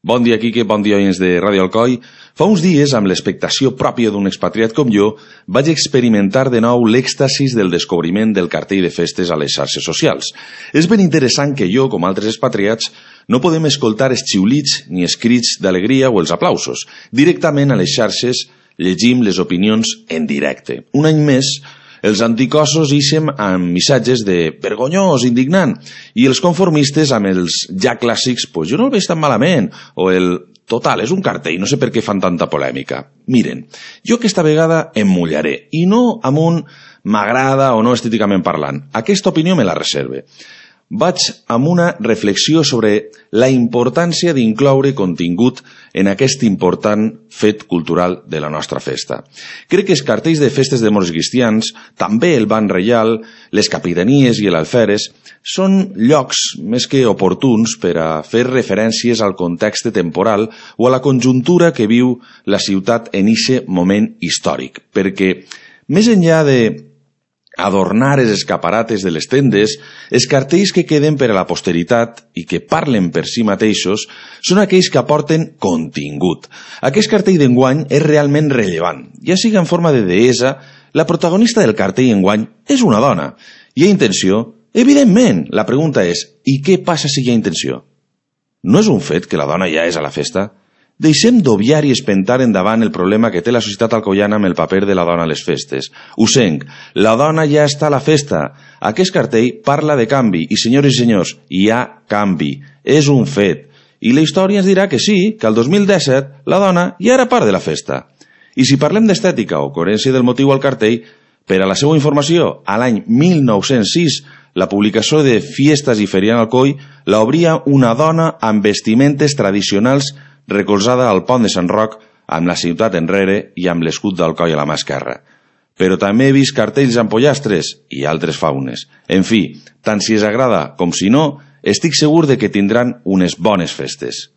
Bon dia, Quique, bon dia, oients de Ràdio Alcoi. Fa uns dies, amb l'expectació pròpia d'un expatriat com jo, vaig experimentar de nou l'èxtasis del descobriment del cartell de festes a les xarxes socials. És ben interessant que jo, com altres expatriats, no podem escoltar els xiulits ni els crits d'alegria o els aplausos. Directament a les xarxes llegim les opinions en directe. Un any més, els anticossos ixen amb missatges de vergonyós, indignant, i els conformistes amb els ja clàssics, pues jo no el veig tan malament, o el total, és un cartell, no sé per què fan tanta polèmica. Miren, jo aquesta vegada em mullaré, i no amb un m'agrada o no estèticament parlant. Aquesta opinió me la reserve. Vaig amb una reflexió sobre la importància d'incloure contingut en aquest important fet cultural de la nostra festa. Crec que els cartells de festes de moros cristians, també el Ban Reial, les capitanies i l'alferes, són llocs més que oportuns per a fer referències al context temporal o a la conjuntura que viu la ciutat en eixe moment històric, perquè més enllà de adornar els escaparates de les tendes, els cartells que queden per a la posteritat i que parlen per si mateixos són aquells que aporten contingut. Aquest cartell d'enguany és realment rellevant, ja sigui en forma de deessa, la protagonista del cartell enguany és una dona. Hi ha intenció? Evidentment! La pregunta és, i què passa si hi ha intenció? No és un fet que la dona ja és a la festa? Deixem d'obviar i espentar endavant el problema que té la societat alcoiana amb el paper de la dona a les festes. Usenc, la dona ja està a la festa. Aquest cartell parla de canvi i, senyores i senyors, hi ha canvi. És un fet. I la història ens dirà que sí, que el 2017 la dona ja era part de la festa. I si parlem d'estètica o coherència del motiu al cartell, per a la seva informació, a l'any 1906, la publicació de Fiestas i Feria en Alcoi l'obria una dona amb vestimentes tradicionals recolzada al pont de Sant Roc amb la ciutat enrere i amb l'escut d'Alcoi a la mà esquerra. Però també he vist cartells amb pollastres i altres faunes. En fi, tant si els agrada com si no, estic segur de que tindran unes bones festes.